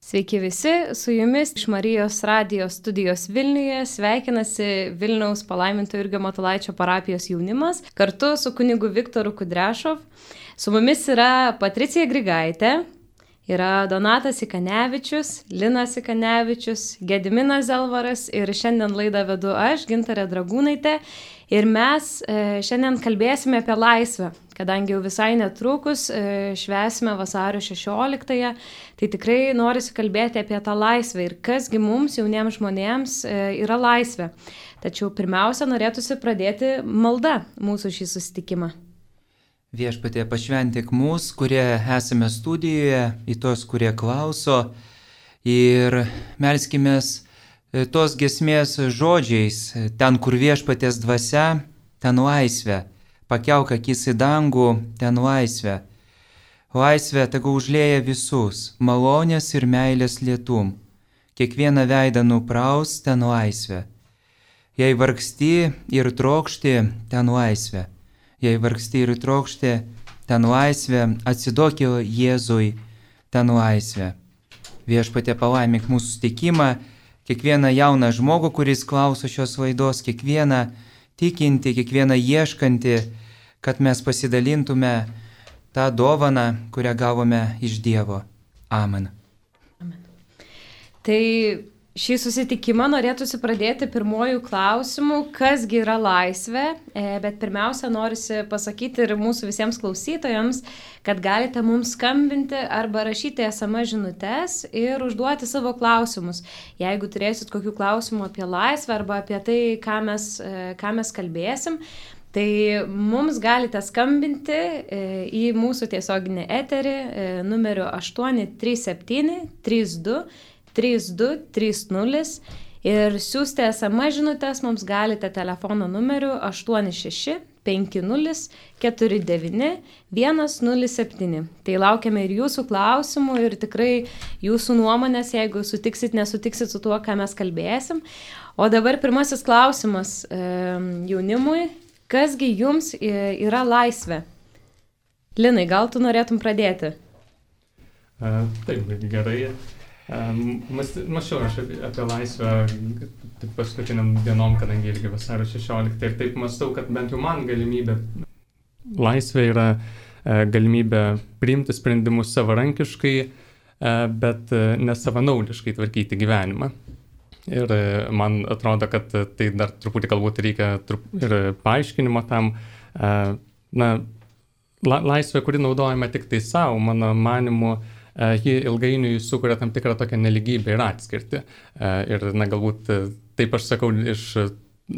Sveiki visi, su jumis iš Marijos radijos studijos Vilniuje sveikinasi Vilniaus palaiminto Jurgio Matulaičio parapijos jaunimas kartu su kunigu Viktoru Kudrešov. Su mumis yra Patricija Grigaitė, yra Donatas Ikanevičius, Linas Ikanevičius, Gediminas Zelvaras ir šiandien laidą vedu aš, Gintarė Dragūnaitė. Ir mes šiandien kalbėsime apie laisvę, kadangi jau visai netrukus švęsime vasario 16-ąją, tai tikrai norisi kalbėti apie tą laisvę ir kasgi mums, jauniems žmonėms, yra laisvė. Tačiau pirmiausia, norėtųsi pradėti malda mūsų šį susitikimą. Viešpatie, pašventik mus, kurie esame studijoje, į tos, kurie klauso, ir melskimės tos giesmės žodžiais, ten, kur viešpaties dvasia, ten laisvė, pakelk akis į dangų, ten laisvė. Laisvė tegu užlieja visus, malonės ir meilės lietum, kiekvieną veidą nupraus, ten laisvė. Jei vargsti ir trokšti, ten laisvė. Jei vargsti ir trokšti, ten laisvė, atsiduok Jėzui, ten laisvė. Viešpatie, palaimink mūsų susitikimą, kiekvieną jauną žmogų, kuris klauso šios laidos, kiekvieną tikinti, kiekvieną ieškanti, kad mes pasidalintume tą dovaną, kurią gavome iš Dievo. Amen. Amen. Tai šį susitikimą norėtųsi pradėti pirmojų klausimų, kasgi yra laisvė, bet pirmiausia norisi pasakyti ir mūsų visiems klausytojams, kad galite mums skambinti arba rašyti SMS žinutes ir užduoti savo klausimus. Jeigu turėsit kokių klausimų apie laisvę arba apie tai, ką mes kalbėsim, tai mums galite skambinti į mūsų tiesioginį eterį numeriu 837 32 3230 ir siųsti SMS žinutes mums galite telefono numeriu 86 50 49 107. Tai laukiame ir jūsų klausimų ir tikrai jūsų nuomonės, jeigu sutiksit, nesutiksit su tuo, ką mes kalbėsim. O dabar pirmasis klausimas jaunimui. Kasgi jums yra laisvė? Linai, gal tu norėtum pradėti? Taip, gerai. Mąsčiau aš apie laisvę paskutiniam dienom, kadangi irgi vasario 16 ir taip mąstau, kad bent jau man laisvė yra galimybė priimti sprendimus savarankiškai, bet nesavanaudiškai tvarkyti gyvenimą. Ir man atrodo, kad tai dar truputį galbūt reikia ir paaiškinimo tam. Laisvė, kuri naudojama tik tai savo, mano manimu, ji ilgainiui sukuria tam tikrą tokią neligybę ir atskirtį. Ir galbūt taip aš sakau iš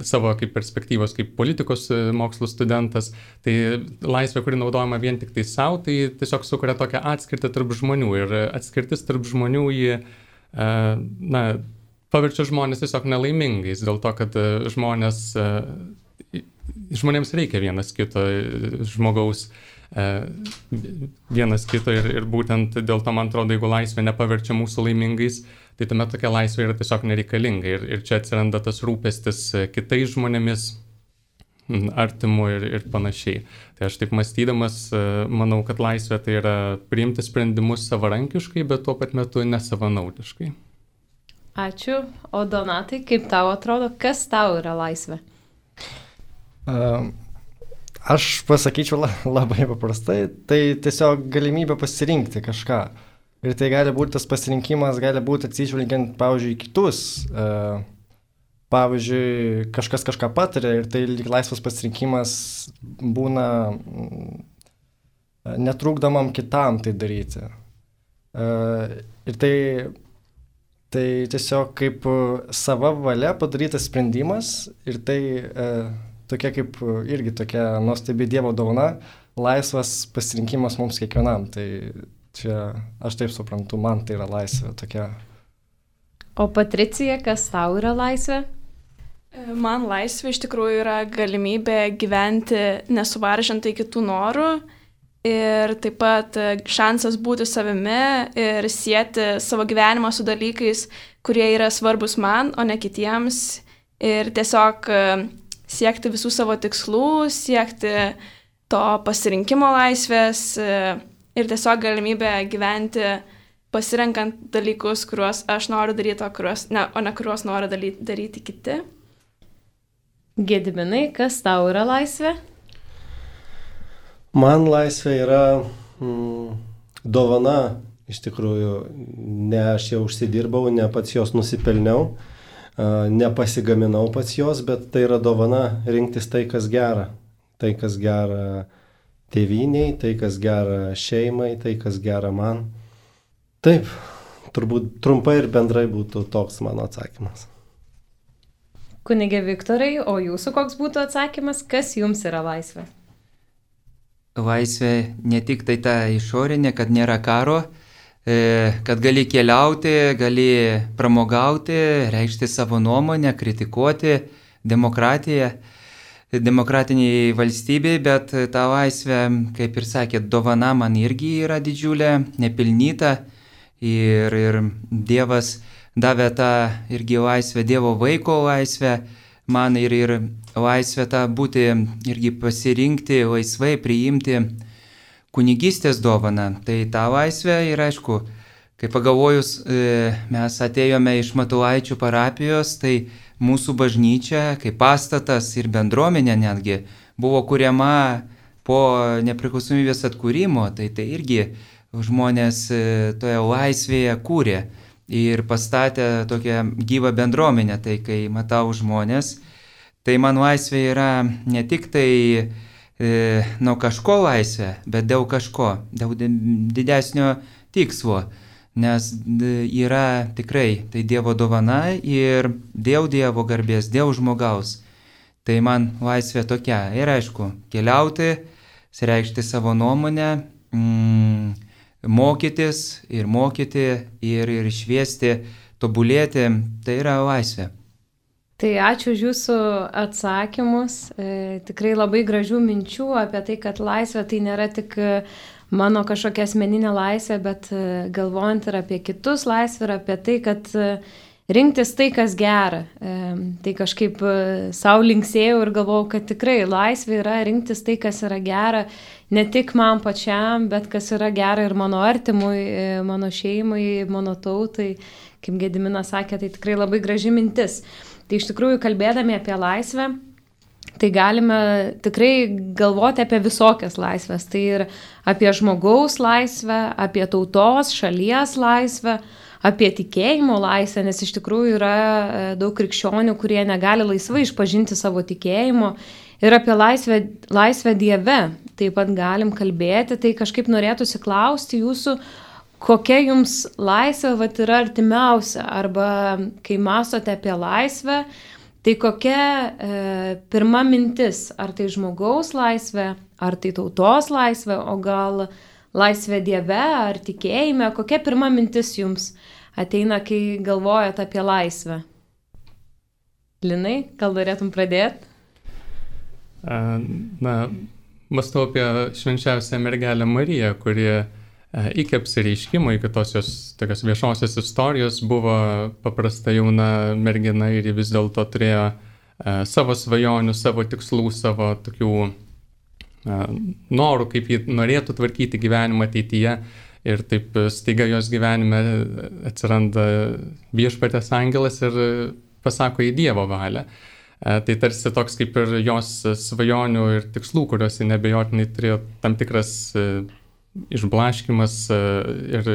savo kaip perspektyvos, kaip politikos mokslų studentas, tai laisvė, kuri naudojama vien tik tai savo, tai tiesiog sukuria tokią atskirtį tarp žmonių. Ir atskirtis tarp žmonių ji paverčia žmonės tiesiog nelaimingais, dėl to, kad žmonėms reikia vienas kito žmogaus, vienas kito ir būtent dėl to, man atrodo, jeigu laisvė nepaverčia mūsų laimingais, tai tuomet tokia laisvė yra tiesiog nereikalinga ir čia atsiranda tas rūpestis kitais žmonėmis, artimu ir panašiai. Tai aš taip mąstydamas, manau, kad laisvė tai yra priimti sprendimus savarankiškai, bet tuo pat metu nesavanaudiškai. Ačiū. O Donatai, kaip tau atrodo, kas tau yra laisvė? Aš pasakyčiau labai paprastai, tai tiesiog galimybė pasirinkti kažką. Ir tai gali būti tas pasirinkimas, gali būti atsižvelgiant, pavyzdžiui, kitus. Pavyzdžiui, kažkas kažką patiria ir tai laisvas pasirinkimas būna netrukdomam kitam tai daryti. Ir tai tiesiog kaip sava valia padarytas sprendimas ir tai tokia kaip irgi tokia nuostabi Dievo dovana, laisvas pasirinkimas mums kiekvienam. Tai čia aš taip suprantu, man tai yra laisvė tokia. O Patricija, kas tau yra laisvė? Man laisvė iš tikrųjų yra galimybė gyventi nesuvaržantai kitų norų ir taip pat šansas būti savimi ir sieti savo gyvenimą su dalykais, kurie yra svarbus man, o ne kitiems. Ir tiesiog siekti visų savo tikslų, siekti to pasirinkimo laisvės ir tiesiog galimybę gyventi pasirenkant dalykus, kuriuos aš noriu daryti, o ne kuriuos nori daryti kiti. Gediminai, kas tau yra laisvė? Man laisvė yra dovana, iš tikrųjų, ne aš jau užsidirbau, ne pats jos nusipelniau, nepasigaminau pats jos, bet tai yra dovana rinktis tai, kas gera. Tai, kas gera tėvyniai, tai, kas gera šeimai, tai, kas gera man. Taip, turbūt trumpai ir bendrai būtų toks mano atsakymas. Kunige Viktorai, o jūsų koks būtų atsakymas, kas jums yra laisvė? Laisvė ne tik tai ta išorinė, kad nėra karo, kad gali keliauti, gali pramogauti, reikšti savo nuomonę, kritikuoti demokratiniai valstybei, bet ta laisvė, kaip ir sakėt, dovana man irgi yra didžiulė, nepilnyta ir Dievas davė tą irgi laisvę, Dievo vaiko laisvę, man ir laisvę tą būti, irgi pasirinkti, laisvai priimti kunigystės dovaną. Tai ta laisvė ir aišku, kai pagalvojus, mes atėjome iš Matulaičių parapijos, tai mūsų bažnyčia, kaip pastatas ir bendruomenė netgi, buvo kuriama po nepriklausomybės atkūrimo, tai irgi žmonės toje laisvėje kūrė. Ir pastatė tokią gyvą bendruomenę, tai kai matau žmonės, tai man laisvė yra ne tik tai nuo kažko laisvė, bet dėl kažko, dėl didesnio tikslo, nes yra tikrai tai Dievo dovana ir dėl Dievo garbės, dėl žmogaus. Tai man laisvė tokia ir aišku, keliauti, reikšti savo nuomonę, mokytis ir mokyti ir šviesti, tobulėti, tai yra laisvė. Tai ačiū už jūsų atsakymus, tikrai labai gražių minčių apie tai, kad laisvė tai nėra tik mano kažkokia asmeninė laisvė, bet galvojant ir apie kitus laisvę ir apie tai, kad rinktis tai, kas gera. Tai kažkaip sau linksėjau ir galvojau, kad tikrai laisvė yra rinktis tai, kas yra gera, ne tik man pačiam, bet kas yra gera ir mano artimui, mano šeimai, mano tautai. Kaip Gediminas sakė, tai tikrai labai graži mintis. Tai iš tikrųjų, kalbėdami apie laisvę, tai galime tikrai galvoti apie visokias laisvės. Tai ir apie žmogaus laisvę, apie tautos, šalies laisvę, apie tikėjimo laisvę, nes iš tikrųjų yra daug krikščionių, kurie negali laisvai išpažinti savo tikėjimo. Ir apie laisvę Dieve taip pat galim kalbėti, tai kažkaip norėtųsi klausti jūsų, kokia jums laisvė yra artimiausia, arba kai mąstote apie laisvę, tai kokia pirma mintis, ar tai žmogaus laisvė, ar tai tautos laisvė, o gal laisvė Dieve, ar tikėjime, kokia pirma mintis jums ateina, kai galvojate apie laisvę? Linai, gal norėtum pradėti? Mąstau apie švenčiausią mergelę Mariją, kuri iki apsireiškimo, iki tos jos tokios viešosios istorijos buvo paprasta jauna mergina ir vis dėlto turėjo savo svajonių, savo tikslų, savo tokių norų, kaip ji norėtų tvarkyti gyvenimą ateityje. Ir taip staiga jos gyvenime atsiranda viešpatės angelas ir pasako į Dievo valią. Tai tarsi toks kaip ir jos svajonių ir tikslų, kuriuos ji nebejotinai turėjo tam tikras išblaškimas ir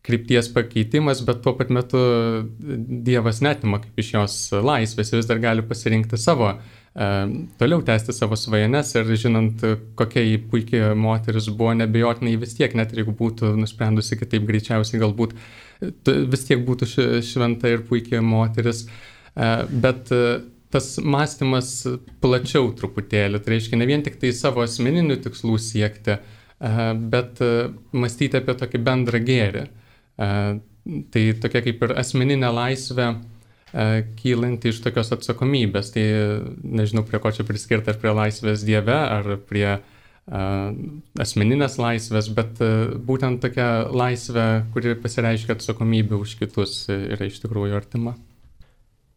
krypties pakeitimas, bet tuo pat metu Dievas neatima kaip iš jos laisvės, vis dar gali pasirinkti savo, toliau tęsti savo svajones ir žinant, kokia ji puikia moteris buvo, nebejotinai vis tiek, net jeigu būtų nusprendusi kitaip, greičiausiai galbūt vis tiek būtų šventa ir puikia moteris, bet tas mąstymas plačiau truputėlį, tai reiškia ne vien tik tai savo asmeninių tikslų siekti, bet mąstyti apie tokį bendrą gėrį. Tai tokia kaip ir asmeninė laisvė kylanti iš tokios atsakomybės. Tai nežinau, prie ko čia priskirti, ar prie laisvės Dieve, ar prie asmeninės laisvės, bet būtent tokia laisvė, kuri pasireiškia atsakomybė už kitus, yra iš tikrųjų artima.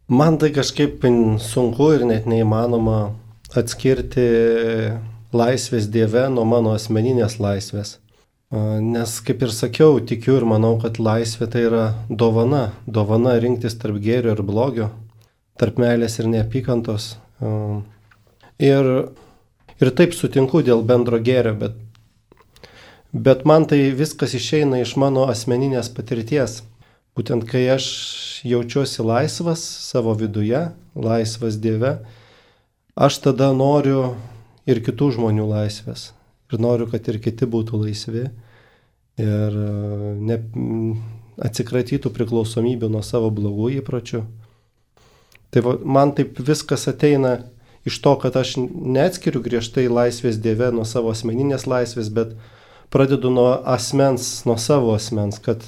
Man tai kažkaip sunku ir net neįmanoma atskirti laisvės Dieve nuo mano asmeninės laisvės. Nes, kaip ir sakiau, tikiu ir manau, kad laisvė tai yra dovana. Dovana rinktis tarp gėrio ir blogio, tarp meilės ir neapykantos. Ir taip sutinku dėl bendro gėrio, bet man tai viskas išeina iš mano asmeninės patirties. Būtent kai aš jaučiuosi laisvas savo viduje, laisvas Dieve, aš tada noriu ir kitų žmonių laisvės. Ir noriu, kad ir kiti būtų laisvi ir atsikratytų priklausomybių nuo savo blogų įpročių. Tai man taip viskas ateina iš to, kad aš neatskiriu griežtai laisvės Dieve nuo savo asmeninės laisvės, bet pradedu nuo asmens, nuo savo asmens, kad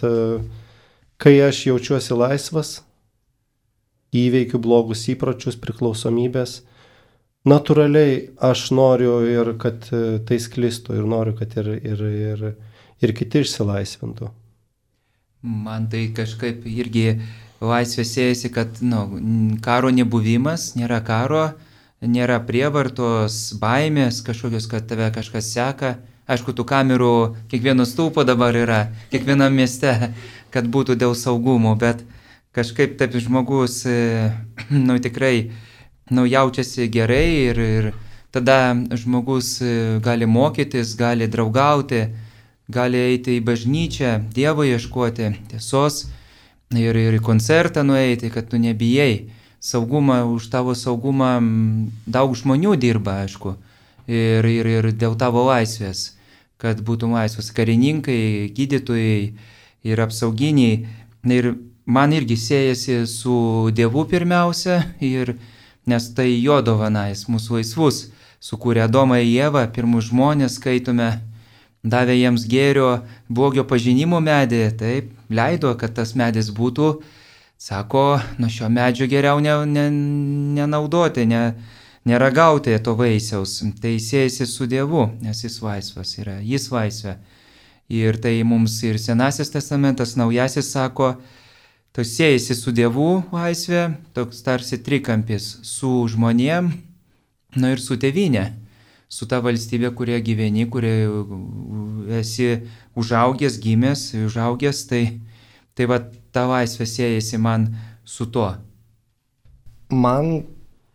kai aš jaučiuosi laisvas, įveikiu blogus įpročius, priklausomybės, natūraliai aš noriu ir kad tai sklistų ir noriu, kad ir kiti išsilaisvintų. Man tai kažkaip irgi laisvė siejasi, kad karo nebuvimas, nėra karo, nėra prievartos, baimės kažkokios, kad tave kažkas seka. Aišku, tų kamerų kiekvieno stulpo dabar yra, kiekvienam mieste, kad būtų dėl saugumo, bet kažkaip taip žmogus tikrai jaučiasi gerai ir tada žmogus gali mokytis, gali draugauti, gali eiti į bažnyčią, Dievo ieškoti, tiesos ir į koncertą nueiti, kad tu nebijai. Už tavo saugumą daug žmonių dirba, aišku, ir dėl tavo laisvės, kad būtum laisvas karininkai, gydytojai ir apsauginiai. Ir man irgi siejasi su Dievu pirmiausia, nes tai jo dovana, jis mūsų laisvus, sukūrė Adomą ir Ievą, pirmus žmonės skaitome, davė jiems gėrio, blogio pažinimo medį, taip, leido, kad tas medis būtų, sako, nuo šio medžio geriau nenaudoti, neragauti to vaisiaus, tai siejasi su Dievu, nes jis laisvas yra, jis laisvė. Ir tai mums ir Senasis testamentas, Naujasis sako, tai siejasi su Dievu laisvė, toks tarsi trikampis su žmonėm, ir su tėvynė, su ta valstybė, kurioje gyveni, kurioje esi užaugęs, gimęs, tai va ta laisvė siejasi man su tuo. Man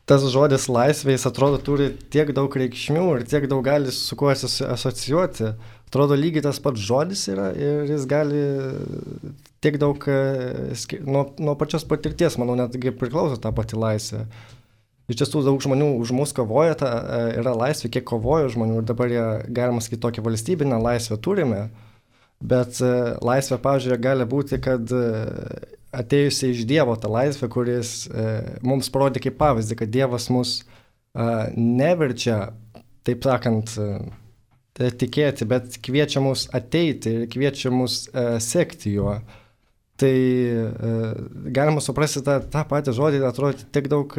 tas žodis laisvė, jis atrodo turi tiek daug reikšmių ir tiek daug gali su kuo asocijuoti. Atrodo lygiai tas pats žodis yra ir jis gali tiek daug nuo pačios patirties, manau, netgi priklauso tą patį laisvę. Iš tiesų daug žmonių už mus kovoja, yra laisvė, kiek kovoja žmonių ir dabar jie, galima sakyti, tokią valstybinę laisvę turime, bet laisvė, pavyzdžiui, gali būti, kad atėjusi iš Dievo ta laisvė, kuris mums parodė kaip pavyzdį, kad Dievas mus neverčia, taip sakant, tikėti, bet kviečia mus ateiti ir kviečia mus sekti juo. Tai galima suprasti tą patį žodį, atrodo tiek daug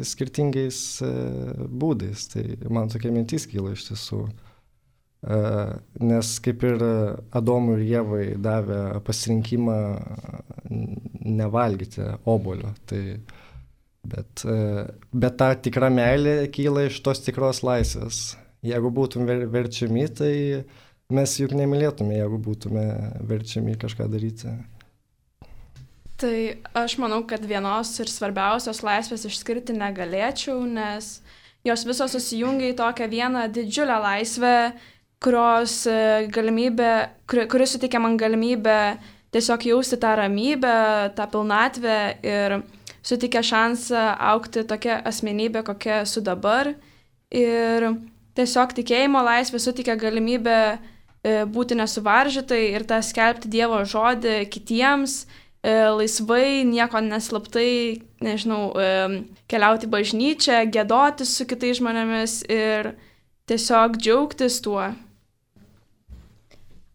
skirtingais būdais. Tai man tokia mintis kyla iš tiesų. Nes kaip ir Adomui ir Ievai davė pasirinkimą nevalgyti obuolio. Bet ta tikra meilė kyla iš tos tikros laisvės. Jeigu būtume verčiami, tai mes juk nemylėtume, jeigu būtume verčiami kažką daryti. Tai aš manau, kad vienos ir svarbiausios laisvės išskirti negalėčiau, nes jos visos susijungia į tokią vieną didžiulę laisvę, kuri suteikia man galimybę tiesiog jausti tą ramybę, tą pilnatvę ir suteikia šansą augti tokia asmenybė, kokia esu dabar. Ir tiesiog tikėjimo laisvė suteikia galimybę būti nesuvaržytai ir tą skelbti Dievo žodį kitiems, laisvai, nieko neslaptai, keliauti į bažnyčią, giedoti su kitais žmonėmis ir tiesiog džiaugtis tuo.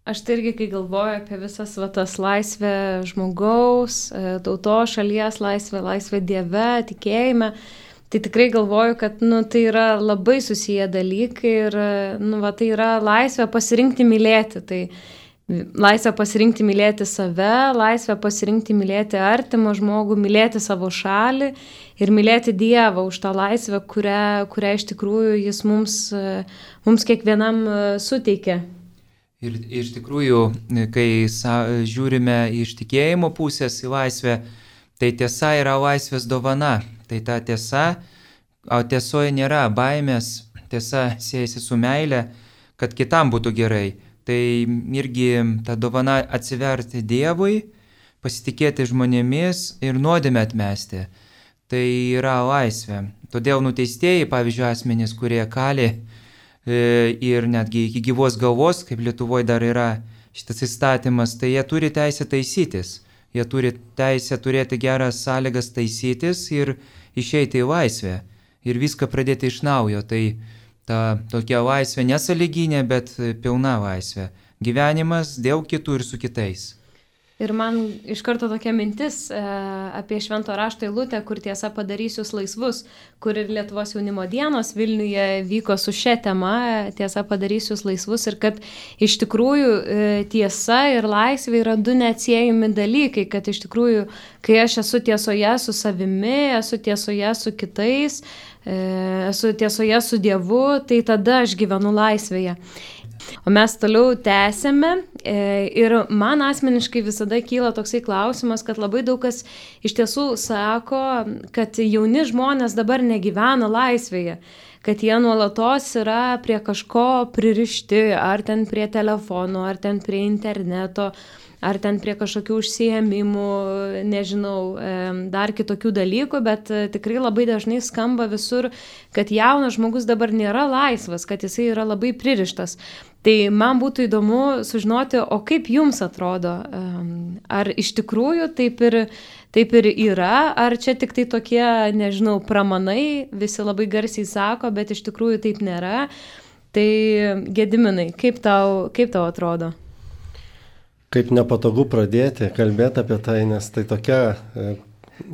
Aš tai irgi, kai galvoju apie visas tas laisvę žmogaus, tautos, šalies laisvę Dieve, tikėjime, tai tikrai galvoju, kad tai yra labai susiję dalykai ir tai yra laisvė pasirinkti mylėti. Tai laisvė pasirinkti mylėti save, laisvė pasirinkti mylėti artimą žmogų, mylėti savo šalį ir mylėti Dievą už tą laisvę, kurią iš tikrųjų jis mums kiekvienam suteikia. Ir iš tikrųjų, kai žiūrime iš tikėjimo pusės į laisvę, tai tiesa yra laisvės dovana. Tai ta tiesa, o tiesoje nėra baimės, tiesa siejasi su meile, kad kitam būtų gerai. Tai irgi ta dovana atsiverti Dievui, pasitikėti žmonėmis ir nuodėmę atmesti. Tai yra laisvė. Todėl nuteistieji, pavyzdžiui, asmenys, kurie kali ir netgi iki gyvos galvos, kaip Lietuvoje dar yra šitas įstatymas, tai jie turi teisę taisytis. Jie turi teisę turėti geras sąlygas taisytis ir išeiti į laisvę. Ir viską pradėti iš naujo. Tai ta tokia laisvė nesąlyginė, bet pilna laisvė. Gyvenimas dėl kitų ir su kitais. Ir man iš karto tokia mintis apie Švento rašto eilutę, kur tiesa padarys jūs laisvus, kur ir Lietuvos jaunimo dienos Vilniuje vyko su šia tema, tiesa padarys jūs laisvus, ir kad iš tikrųjų tiesa ir laisvė yra du neatsiejami dalykai, kad iš tikrųjų, kai aš esu tiesoje su savimi, esu tiesoje su kitais, esu tiesoje su Dievu, tai tada aš gyvenu laisvėje. O mes toliau tęsėme ir man asmeniškai visada kyla toksai klausimas, kad labai daug kas iš tiesų sako, kad jauni žmonės dabar negyvena laisvėje, kad jie nuolatos yra prie kažko pririšti, ar ten prie telefono, ar ten prie interneto, ar ten prie kažkokių užsiėmimų, nežinau, dar kitokių dalykų, bet tikrai labai dažnai skamba visur, kad jaunas žmogus dabar nėra laisvas, kad jisai yra labai pririštas. Tai man būtų įdomu sužinoti, o kaip jums atrodo, ar iš tikrųjų taip ir yra, ar čia tik tai tokie, nežinau, pramanai, visi labai garsiai sako, bet iš tikrųjų taip nėra. Tai Gediminai, kaip tau atrodo? Kaip nepatogu pradėti kalbėti apie tai, nes tai tokia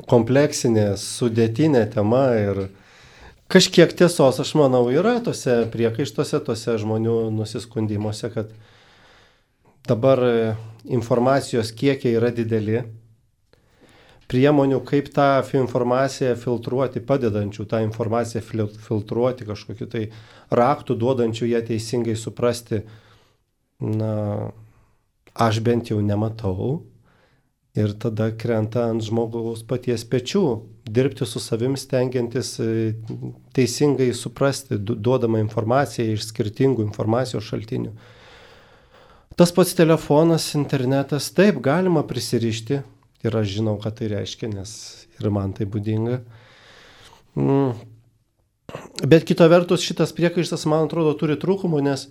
kompleksinė, sudėtinė tema ir kažkiek tiesos, aš manau, yra tose priekaištuose, tose žmonių nusiskundimuose, kad dabar informacijos kiekiai yra dideli, priemonių, kaip tą informaciją filtruoti, padedančių tą informaciją filtruoti, kažkokiu tai raktų duodančių ją teisingai suprasti, aš bent jau nematau. Ir tada krenta ant žmogaus paties pečių, dirbti su savim, stengiantis teisingai suprasti, duodama informaciją iš skirtingų informacijos šaltinių. Tas pats telefonas, internetas, taip, galima prisirišti, ir aš žinau, ką tai reiškia, nes ir man tai būdinga. Bet kita vertus, šitas priekaištas, man atrodo, turi trūkumų, nes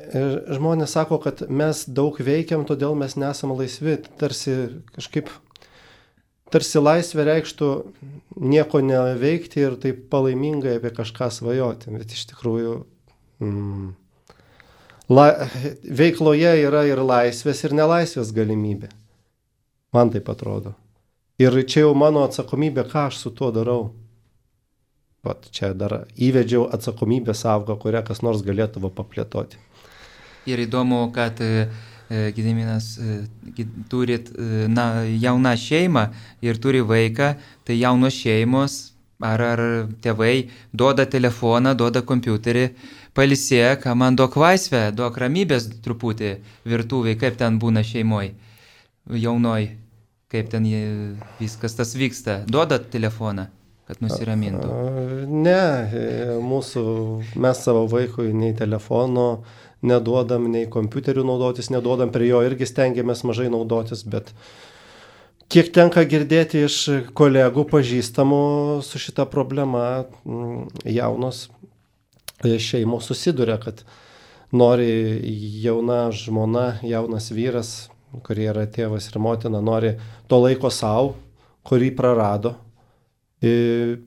žmonės sako, kad mes daug veikiam, todėl mes nesam laisvi. Tarsi laisvė reikštų nieko neveikti ir taip palaimingai apie kažką svajoti. Bet iš tikrųjų veikloje yra ir laisvės, ir nelaisvės galimybė. Man taip atrodo. Ir čia jau mano atsakomybė, ką aš su tuo darau. Vat čia dar įvedžiau atsakomybės sąvoką, kurią kas nors galėtų paplėtoti. Ir įdomu, kad Gediminas turit jauną šeimą ir turi vaiką, tai jaunos šeimos ar tėvai duoda telefoną, duoda kompiuterį, pailsėk, man duok laisvę, duok ramybės truputį virtuvėj, kaip ten būna šeimoj, jaunoj, kaip ten viskas tas vyksta. Duoda telefoną, kad nusiramintų? Ne, mes savo vaikui nei telefono neduodam, nei kompiuterių naudotis neduodam, prie jo irgi stengiamės mažai naudotis, bet kiek tenka girdėti iš kolegų pažįstamų su šita problema, jaunos šeimos susiduria, kad nori jauna žmona, jaunas vyras, kurie yra tėvas ir motina, nori to laiko savo, kurį prarado. Ir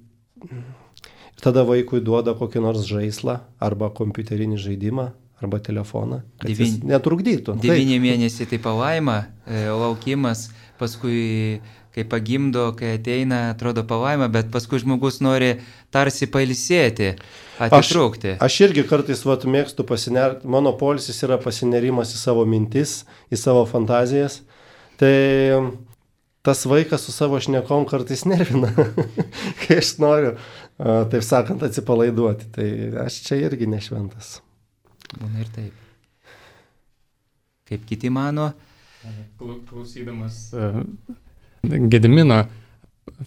tada vaikui duoda kokį nors žaislą arba kompiuterinį žaidimą arba telefoną, kad jis netrukdytų. 9 mėnesiai tai palaima, laukimas, paskui kai pagimdo, kai ateina, atrodo palaima, bet paskui žmogus nori tarsi pailsėti, atitrūkti. Aš irgi kartais mėgstu pasinerti, mano poilsis yra pasinerimas į savo mintis, į savo fantazijas. Tai tas vaikas su savo šnekom kartais nervina, kai aš noriu, taip sakant, atsipalaiduoti. Tai aš čia irgi nešventas. Būna ir taip. kaip kiti mano. Klausydamas Gedimino,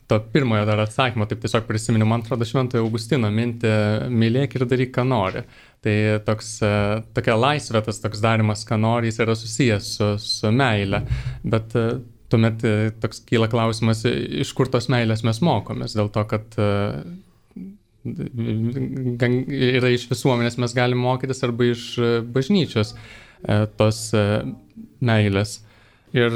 to pirmojo dar atsakymo, taip tiesiog prisiminiau, man atrodo, Šventojo Augustino mintį mylėk ir daryk, ką nori. Tai tokia laisvė, tas toks darimas, ką nori, jis yra susijęs su meile. Bet tuomet toks kyla klausimas, iš kur tos meilės mes mokomės, dėl to, kad yra iš visuomenės mes galim mokytis arba iš bažnyčios tos meilės. Ir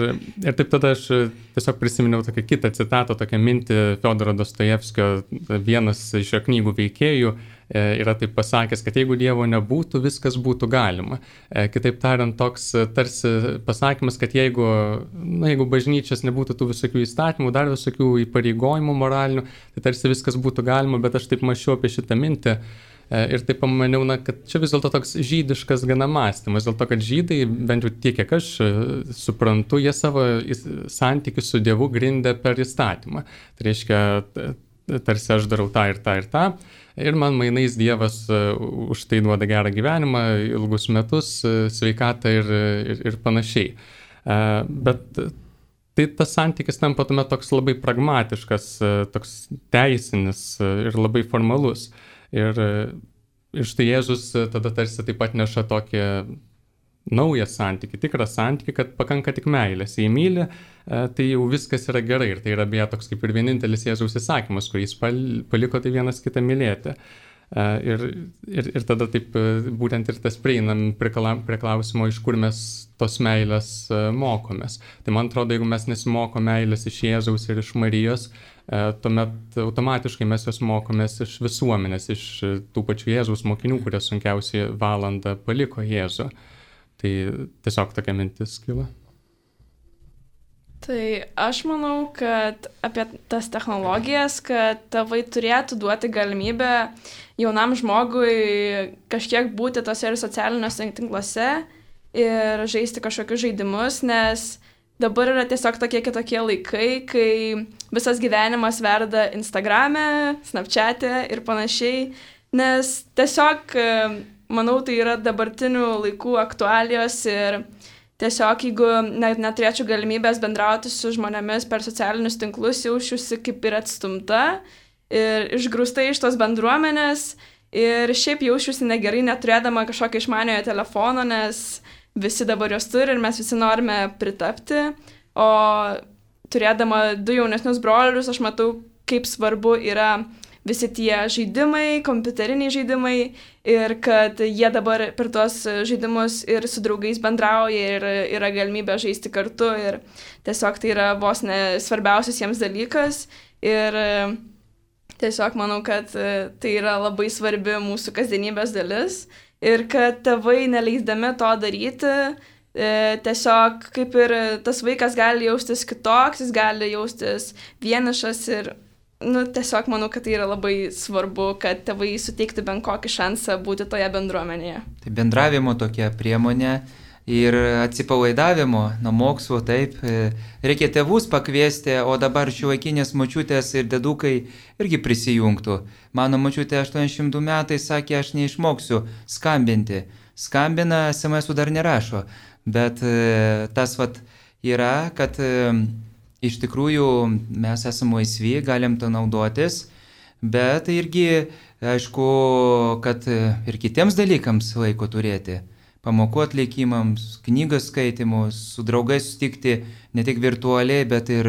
taip tada aš tiesiog prisiminiau tokią kitą citatą, tokią mintį Fiodoro Dostojevskio, vienas iš jo knygų veikėjų yra taip pasakęs, kad jeigu Dievo nebūtų, viskas būtų galima. Kitaip tariant, toks tarsi pasakymas, kad jeigu bažnyčios nebūtų tų visokių įstatymų, dar visokių įpareigojimų moralinių, tai tarsi viskas būtų galima, bet aš taip mąsčiau apie šitą mintį. Ir taip pamaniau, kad čia vis dėlto toks žydiškas gana mąstymas, dėl to, kad žydai, bent jau tiek, kiek aš suprantu, jie savo santykius su Dievu grindė per įstatymą. Tai reiškia, tarsi aš darau tą ir tą ir tą, ir man mainais Dievas už tai duoda gerą gyvenimą, ilgus metus, sveikatą ir panašiai. Bet tai tas santykis tampa tuomet toks labai pragmatiškas, toks teisinis ir labai formalus. Ir štai Jėzus tada tarsi taip pat neša tokį naują santykį, tikrą santykį, kad pakanka tik meilės. Jei myli, tai jau viskas yra gerai. Ir tai yra beje toks kaip ir vienintelis Jėzaus įsakymas, kurį jis paliko tai vienas kitą mylėti. Ir tada taip būtent ir tas prieinam prie klausimo, iš kur mes tos meilės mokomės. Tai man atrodo, jeigu mes nesimoko meilės iš Jėzaus ir iš Marijos, tuomet automatiškai mes jos mokomės iš visuomenės, iš tų pačių Jėzaus mokinių, kurie sunkiausiai valandą paliko Jėzų. Tai tiesiog tokia mintis kilo. Tai aš manau, kad apie tas technologijas, kad tėvai turėtų duoti galimybę jaunam žmogui kažkiek būti tose ir socialiniuose tinkluose ir žaisti kažkokius žaidimus, nes dabar yra tiesiog tokie kitokie laikai, kai visas gyvenimas verda Instagrame, Snapchat'e ir panašiai, nes tiesiog, manau, tai yra dabartinių laikų aktualijos ir tiesiog, jeigu neturėčiau galimybės bendrauti su žmonėmis per socialinius tinklus, jaučiuosi kaip ir atstumta ir išgrūsta iš tos bendruomenės ir šiaip jaučiuosi negerai neturėdama kažkokio išmaniojo telefono, nes visi dabar jos turi ir mes visi norime pritapti, o turėdama 2 jaunesnius brolius, aš matau, kaip svarbu yra visi tie žaidimai, kompiuteriniai žaidimai ir kad jie dabar per tuos žaidimus ir su draugais bendrauja ir yra galimybė žaisti kartu ir tiesiog tai yra vos ne svarbiausias jiems dalykas ir tiesiog manau, kad tai yra labai svarbi mūsų kasdienybės dalis ir kad tėvai neleisdami to daryti, tiesiog kaip ir tas vaikas gali jaustis kitoks, jis gali jaustis vienišas ir tiesiog manau, kad tai yra labai svarbu, kad tėvai suteiktų bent kokį šansą būti toje bendruomenėje. Tai bendravimo tokia priemonė ir atsipalaidavimo nuo mokslo, taip, reikia tėvus pakviesti, o dabar šiuolaikinės močiutės ir dedukai irgi prisijungtų. Mano močiutė 82 metai sakė, aš neišmoksiu skambinti. Skambina, SMS-ų dar nerašo, bet tas yra, kad iš tikrųjų mes esame laisvi, galim to naudotis, bet irgi, aišku, kad ir kitiems dalykams laiko turėti. Pamokų atlikimams, knygas skaitimus, su draugais sutikti ne tik virtualiai, bet ir,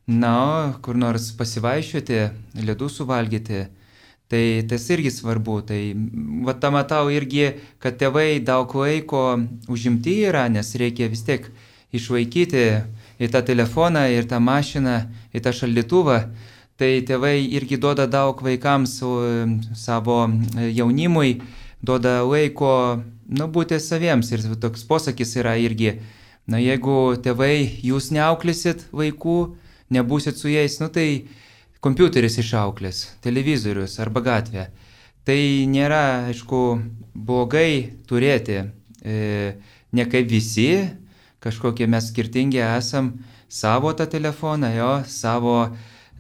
kur nors pasivaiščioti, ledų suvalgyti. Tai tas irgi svarbu. Tai tą matau irgi, kad tėvai daug laiko užimti yra, nes reikia vis tiek išlaikyti į tą telefoną, ir tą mašiną, į tą šaldytuvą. Tai tėvai irgi duoda daug vaikams savo jaunimui, duoda laiko būti saviems. Ir toks posakis yra irgi, jeigu tėvai jūs neauklėsit vaikų, nebūsit su jais, tai kompiuteris išauklės, televizorius arba gatvė. Tai nėra, aišku, blogai turėti, ne kaip visi, kažkokie mes skirtingi esam, savo tą telefoną, savo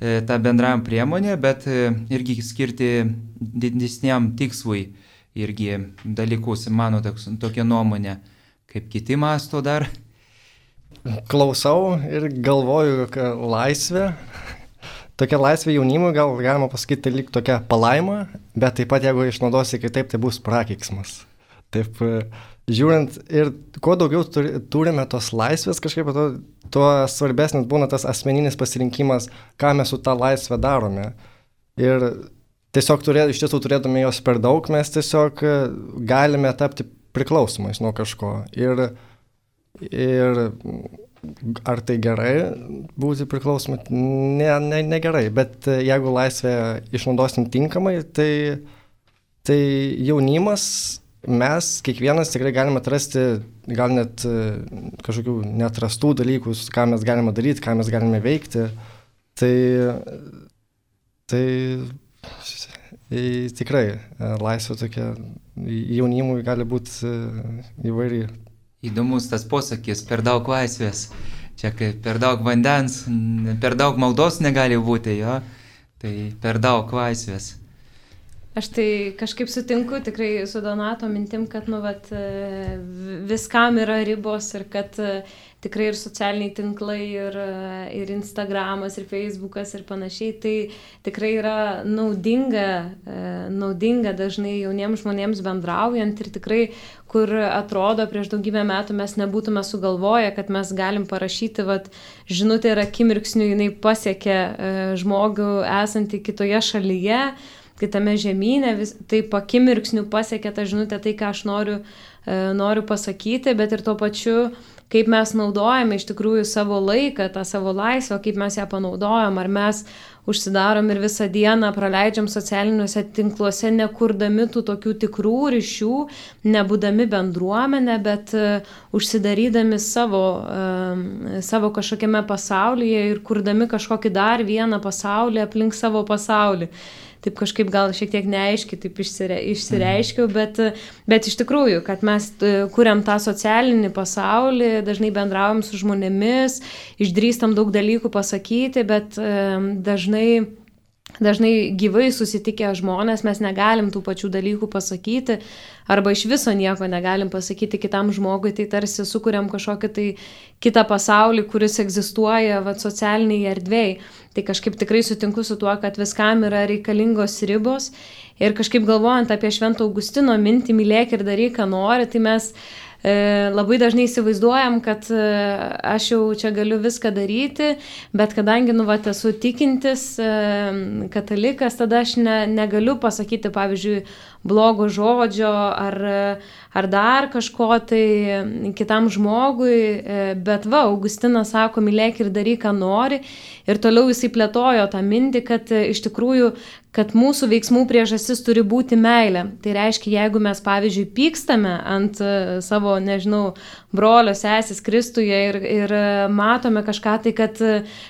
tą bendram priemonę, bet irgi skirti didesniam tikslui irgi dalykus, mano tokia nuomonė, kaip kiti masto dar. Klausau ir galvoju, kad laisvė, tokia laisvė jaunimui, gal galima pasakyti, tai lyg tokia palaima, bet taip pat jeigu išnaudosi kitaip, tai bus prakeiksmas. Taip, žiūrint ir kuo daugiau turime tos laisvės, kažkaip tuo svarbesnis būna tas asmeninis pasirinkimas, ką mes su tą laisvę darome. Ir tiesiog iš tiesų turėdami jos per daug, mes tiesiog galime tapti priklausomais nuo kažko. Ir ar tai gerai būti priklausomai? Ne gerai, bet jeigu laisvę išnaudosim tinkamai, tai jaunimas, mes kiekvienas tikrai galime atrasti gal net kažkokių neatrastų dalykus, ką mes galime daryti, ką mes galime veikti. Tai tikrai laisvė tokia jaunimui gali būti įvairi. Įdomus tas posakis, per daug laisvės. Čia kaip per daug vandens, per daug maldos negali būti, jo. Tai per daug laisvės. Aš tai kažkaip sutinku tikrai su Donato mintim, kad viskam yra ribos ir kad tikrai ir socialiniai tinklai, ir Instagramas, ir Facebookas ir panašiai, tai tikrai yra naudinga dažnai jauniems žmonėms bendraujant ir tikrai, kur atrodo prieš daugybę metų mes nebūtume sugalvoję, kad mes galim parašyti, žinutė ir akimirksniu jinai pasiekia žmogų esantį kitoje šalyje, kitame žemyne, taip akimirksniu pasiekia tą žinutę, tai ką aš noriu pasakyti, bet ir tuo pačiu, kaip mes naudojame iš tikrųjų savo laiką, tą savo laisvę, kaip mes ją panaudojam, ar mes užsidarom ir visą dieną praleidžiam socialiniuose tinkluose, nekurdami tų tokių tikrų ryšių, nebūdami bendruomenę, bet užsidarydami savo kažkokiame pasaulyje ir kurdami kažkokį dar vieną pasaulį aplink savo pasaulį. Taip kažkaip gal šiek tiek neaiškiai taip išsireiškiau, bet iš tikrųjų, kad mes kuriam tą socialinį pasaulį, dažnai bendraujam su žmonėmis, išdrįstam daug dalykų pasakyti, bet dažnai gyvai susitikę žmonės mes negalim tų pačių dalykų pasakyti arba iš viso nieko negalim pasakyti kitam žmogui, tai tarsi sukuriam kažkokį tai kitą pasaulį, kuris egzistuoja socialiniai erdvėj. Tai kažkaip tikrai sutinku su tuo, kad viskam yra reikalingos ribos ir kažkaip galvojant apie Švento Augustino mintį, mylėk ir daryk, ką nori, tai mes labai dažnai įsivaizduojam, kad aš jau čia galiu viską daryti, bet kadangi esu tikintis katalikas, tada aš negaliu pasakyti, pavyzdžiui, blogo žodžio ar dar kažko tai kitam žmogui, bet Augustinas sako, mylėk ir daryk, ką nori, ir toliau jisai plėtojo tą mintį, kad iš tikrųjų, kad mūsų veiksmų priežastis turi būti meilė. Tai reiškia, jeigu mes, pavyzdžiui, pykstame ant savo, brolio sesės Kristuje ir matome kažką tai,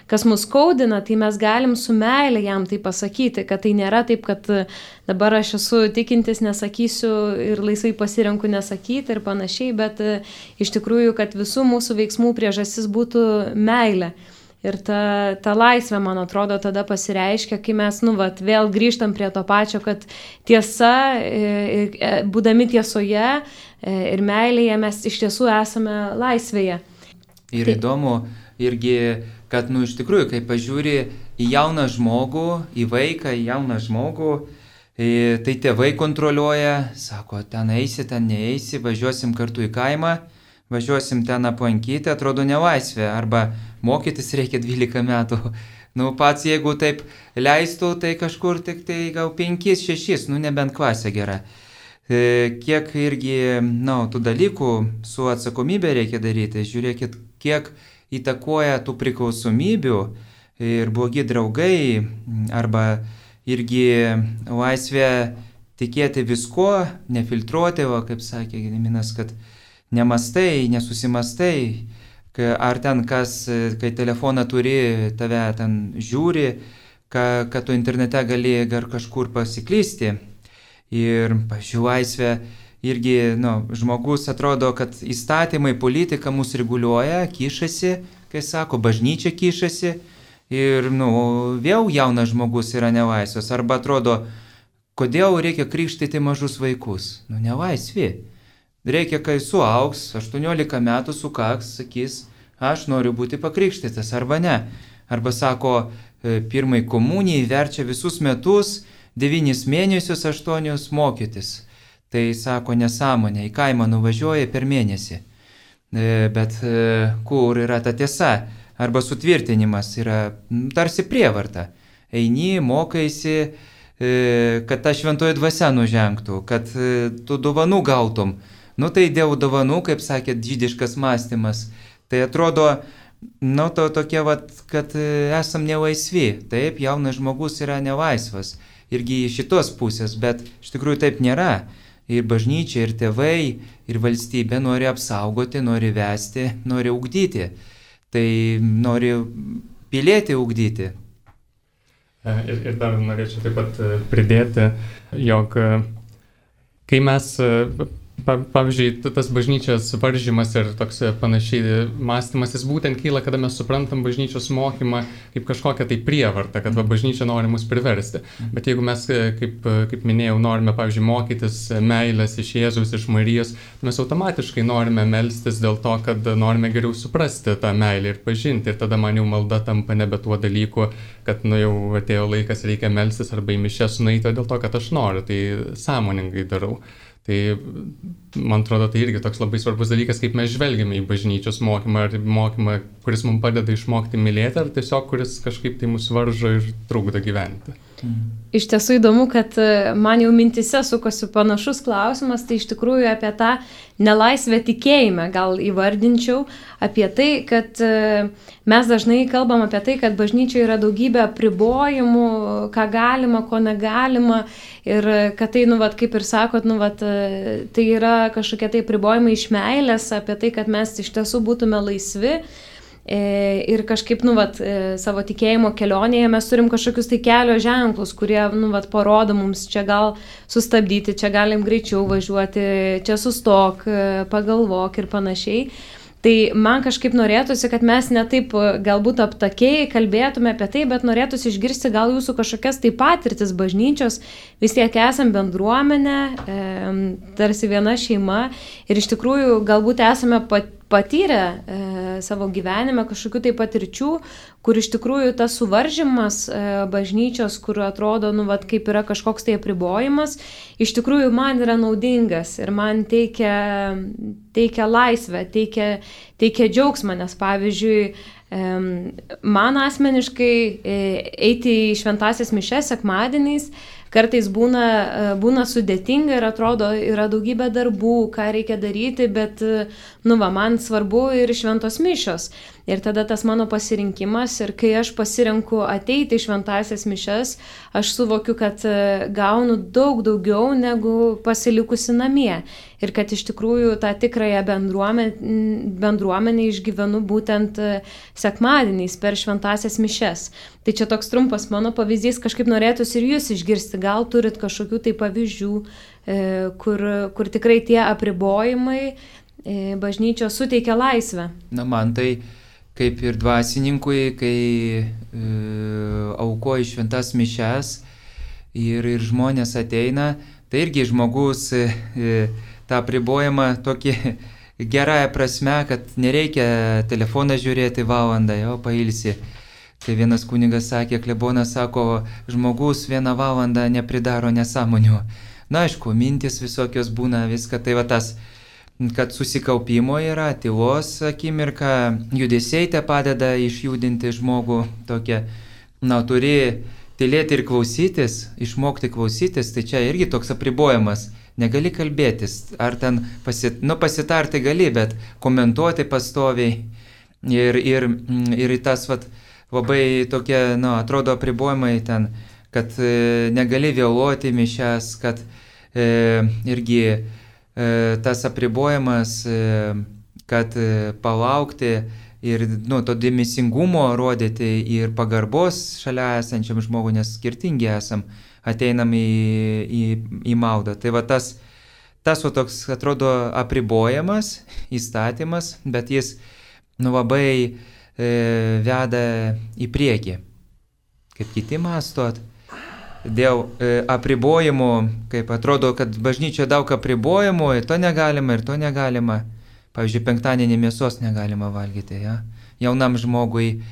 kas mus skaudina, tai mes galim su meilė jam tai pasakyti, kad tai nėra taip, kad dabar aš esu tikintis, nesakysiu ir laisvai pasirenku nesakyti ir panašiai, bet iš tikrųjų, kad visų mūsų veiksmų priežastis būtų meilė. Ir ta laisvė, man atrodo, tada pasireiškia, kai mes, vėl grįžtam prie to pačio, kad tiesa, būdami tiesoje ir meilėje, mes iš tiesų esame laisvėje. Ir įdomu irgi, kad, iš tikrųjų, kai pažiūri į jauną žmogų, į vaiką, į jauną žmogų, tai tėvai kontroliuoja, sako, ten eisi, ten neeisi, važiuosim kartu į kaimą, važiuosim ten aplankyti, atrodo nelaisvė, arba mokytis reikia 12 metų. Pats jeigu taip leistų, tai kažkur tik tai gal 5-6, nebent klasė gera. Kiek irgi, tų dalykų su atsakomybė reikia daryti. Žiūrėkit, kiek įtakoja tų priklausomybių ir blogi draugai, arba irgi laisvė tikėti visko, nefiltruoti, kaip sakė Gediminas, kad nemastai, nesusimastai, ar ten kas, kai telefoną turi, tave ten žiūri, kad tu internete gali kažkur pasiklysti. Ir, pažiūrėjau, laisvė irgi, žmogus atrodo, kad įstatymai, politika mus reguliuoja, kišasi, kai sako, bažnyčia kišasi, ir, vėl jaunas žmogus yra nelaisvas. Arba atrodo, kodėl reikia krikštyti mažus vaikus? Nelaisvi. reikia, kai suaugs, 18 metų sukaks, sakys, aš noriu būti pakrikštytas arba ne. Arba sako, pirmai komunijai verčia visus metus, 9 mėnesius, 8 mokytis. Tai sako nesąmonė, į kaimą nuvažiuoja per mėnesį. Bet kur yra ta tiesa? Arba sutvirtinimas yra tarsi prievarta. Eini, mokaisi, kad ta šventoji dvasia nužengtų, kad tu dovanų gautum. Nu tai dėl dovanų, kaip sakėt, žydiškas mąstymas. Tai atrodo, to tokie, kad esam nelaisvi. Taip, jaunas žmogus yra nelaisvas. Irgi iš šitos pusės, bet iš tikrųjų taip nėra. Ir bažnyčia, ir tėvai, ir valstybė nori apsaugoti, nori vesti, nori ugdyti. Tai nori pilietį ugdyti. Ir dar norėčiau taip pat pridėti, jog kai mes, pavyzdžiui, tas bažnyčios varžymas ir toks panašiai mąstymas, jis būtent kyla, kada mes suprantam bažnyčios mokymą kaip kažkokią tai prievartą, kad bažnyčia nori mus priversti. Bet jeigu mes, kaip minėjau, norime, pavyzdžiui, mokytis meilės iš Jėzaus, iš Marijos, mes automatiškai norime melstis dėl to, kad norime geriau suprasti tą meilę ir pažinti. Ir tada man jau malda tampa nebe tuo dalyku, kad jau atėjo laikas, reikia melstis arba į mišias nueiti, dėl to, kad aš noriu, tai sąmoningai darau. Tai, man atrodo, tai irgi toks labai svarbus dalykas, kaip mes žvelgiame į bažnyčios mokymą, ar mokymą, kuris mums padeda išmokti mylėti, ar tiesiog kuris kažkaip tai mus varžo ir trukdo gyventi. Iš tiesų įdomu, kad man jau mintise sukosi panašus klausimas, tai iš tikrųjų apie tą nelaisvę tikėjime gal įvardinčiau, apie tai, kad mes dažnai kalbam apie tai, kad bažnyčioje yra daugybė apribojimų, ką galima, ko negalima ir kad tai, kaip ir sakot, tai yra kažkokie tai apribojimai iš meilės, apie tai, kad mes iš tiesų būtume laisvi. Ir kažkaip, savo tikėjimo kelionėje mes turim kažkokius tai kelio ženklus, kurie, parodo mums, čia gal sustabdyti, čia galim greičiau važiuoti, čia sustok, pagalvok ir panašiai. Tai man kažkaip norėtųsi, kad mes ne taip galbūt aptakiai kalbėtume apie tai, bet norėtųsi išgirsti gal jūsų kažkokias tai patirtis bažnyčios, vis tiek esam bendruomenė, tarsi viena šeima ir iš tikrųjų galbūt esame patyrę savo gyvenime kažkokių tai patirčių, kur iš tikrųjų tas suvaržymas bažnyčios, kur atrodo, kaip yra kažkoks tai apribojimas, iš tikrųjų man yra naudingas ir man teikia laisvę, teikia džiaugsmą, nes pavyzdžiui, man asmeniškai eiti į šventąsias mišias sekmadieniais kartais būna sudėtinga ir atrodo, yra daugybė darbų, ką reikia daryti, bet, man svarbu ir šventos mišios. Ir tada tas mano pasirinkimas ir kai aš pasirenku ateiti į šventąsias mišias, aš suvokiu, kad gaunu daug daugiau negu pasilikusi namie. Ir kad iš tikrųjų tą tikrąją bendruomenę išgyvenu būtent sekmadieniais per šventąsias mišias. Tai čia toks trumpas mano pavyzdys, kažkaip norėtųsi ir jūs išgirsti, gal turit kažkokių tai pavyzdžių, kur tikrai tie apribojimai bažnyčios suteikia laisvę. Man tai kaip ir dvasininkui, kai aukoji šventas mišias ir žmonės ateina, tai irgi žmogus tą apribojimą tokį gerąją prasme, kad nereikia telefoną žiūrėti valandą, jau pailsi. Tai vienas kunigas sakė, klebonas sako, žmogus 1 valandą nepridaro nesąmonių. Na, aišku, mintis visokios būna, viską, tai va tas, kad susikaupimo yra, tylos akimirka, judesiai te padeda išjudinti žmogų tokia, turi tylėti ir klausytis, išmokti klausytis, tai čia irgi toks apribojimas. Negali kalbėtis, ar ten pasitarti gali, bet komentuoti pastoviai ir tas labai tokie, atrodo apribojimai ten, kad negali vėluoti mišias, kad irgi tas apribojimas, kad palaukti ir to dėmesingumo rodyti ir pagarbos šalia esančiam žmogui, nes skirtingi esam, ateinam į maldą. Tai va tas toks atrodo apribojimas, įstatymas, bet jis labai veda į priekį. Kaip kiti mąstot, dėl apribojimų, kaip atrodo, kad bažnyčia daug apribojimų, ir to negalima. Pavyzdžiui, penktadienį mėsos negalima valgyti, ja? Jaunam žmogui,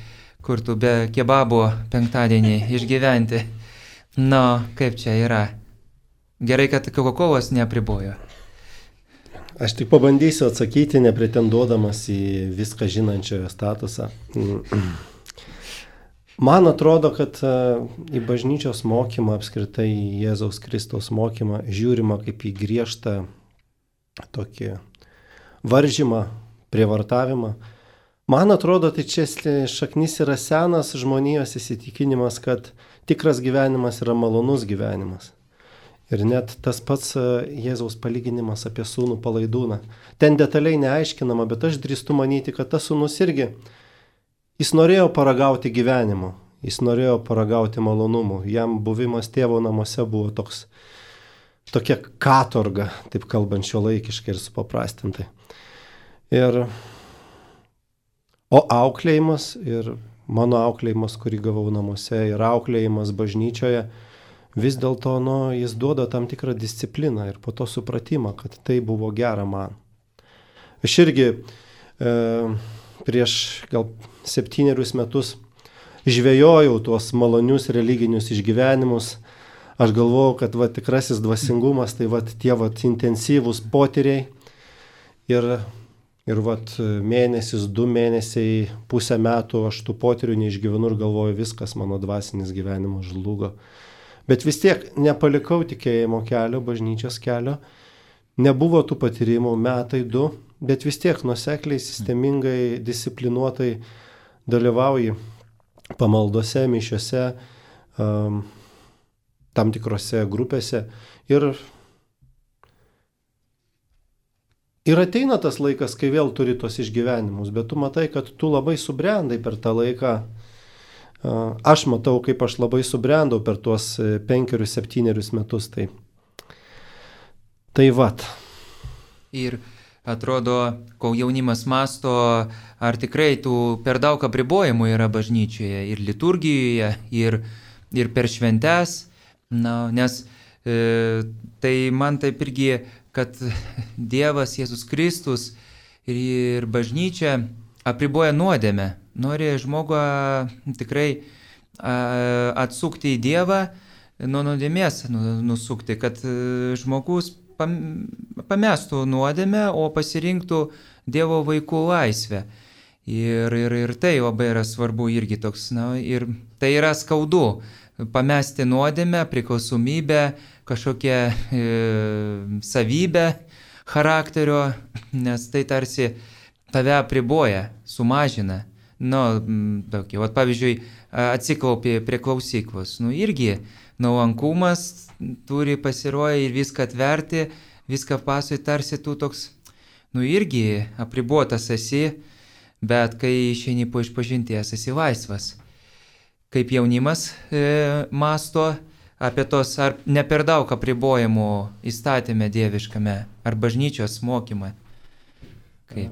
kur tu be kebabo penktadienį išgyventi. Na, kaip čia yra? Gerai, kad Coca-Colos neapribojo. Aš tik pabandysiu atsakyti, nepretenduodamas į viską žinančiojo statusą. Man atrodo, kad į bažnyčios mokymą, apskritai į Jėzaus Kristaus mokymą, žiūrima kaip į griežtą tokį varžymą, prievartavimą. Man atrodo, tai čia šaknis yra senas žmonijos įsitikinimas, kad tikras gyvenimas yra malonus gyvenimas. Ir net tas pats Jėzaus palyginimas apie sūnų palaidūną. Ten detaliai neaiškinama, bet aš drįstu manyti, kad tas sūnus irgi, jis norėjo paragauti gyvenimo, jis norėjo paragauti malonumų. Jam buvimas tėvo namuose buvo tokia katorga, taip kalbant šiuolaikiškai ir supaprastintai. O auklėjimas ir mano auklėjimas, kurį gavau namuose, ir auklėjimas bažnyčioje, vis dėlto, jis duoda tam tikrą discipliną ir po to supratimą, kad tai buvo gera man. Aš irgi prieš gal 7 metus žvejojau tuos malonius religinius išgyvenimus. Aš galvojau, kad tikrasis dvasingumas, tai tie intensyvūs potyriai. Ir mėnesis, 2 mėnesiai, pusę metų aš tų potyrių neišgyvenu ir galvoju, viskas, mano dvasinis gyvenimas žlugo. Bet vis tiek nepalikau tikėjimo kelio, bažnyčios kelio. Nebuvo tų patyrimų 2 metai, bet vis tiek nuosekliai, sistemingai, disciplinuotai dalyvauji pamaldose, mišiose, tam tikrose grupėse. Ir ateina tas laikas, kai vėl turi tos išgyvenimus, bet tu matai, kad tu labai subrendai per tą laiką. Aš matau, kaip aš labai subrendau per tuos 5-7 metus. Tai vat. Ir atrodo, kol jaunimas masto, ar tikrai tų per daug apribojimų yra bažnyčioje ir liturgijoje, ir per šventes. Nes tai man taip irgi, kad Dievas Jėzus Kristus ir bažnyčia apriboja nuodėmę. Nori žmogų tikrai atsukti į Dievą, nuo nuodėmės nusukti, kad žmogus pamestų nuodėmę, o pasirinktų Dievo vaikų laisvę. Ir tai labai yra svarbu irgi toks, ir tai yra skaudu. Pamesti nuodėmę, priklausomybę, kažkokią savybę charakterio, nes tai tarsi tave apriboja, sumažina. Pavyzdžiui, atsiklaupė prie klausyklos. Irgi nuolankumas turi pasirodyti ir viską atverti, viską pasui, tarsi tu toks, irgi apribuotas esi, bet kai išeini po išpažinties, esi laisvas. Kaip jaunimas masto apie tos, ar ne per daug apribojimų įstatymę dieviškame, ar bažnyčios mokymą? Kaip?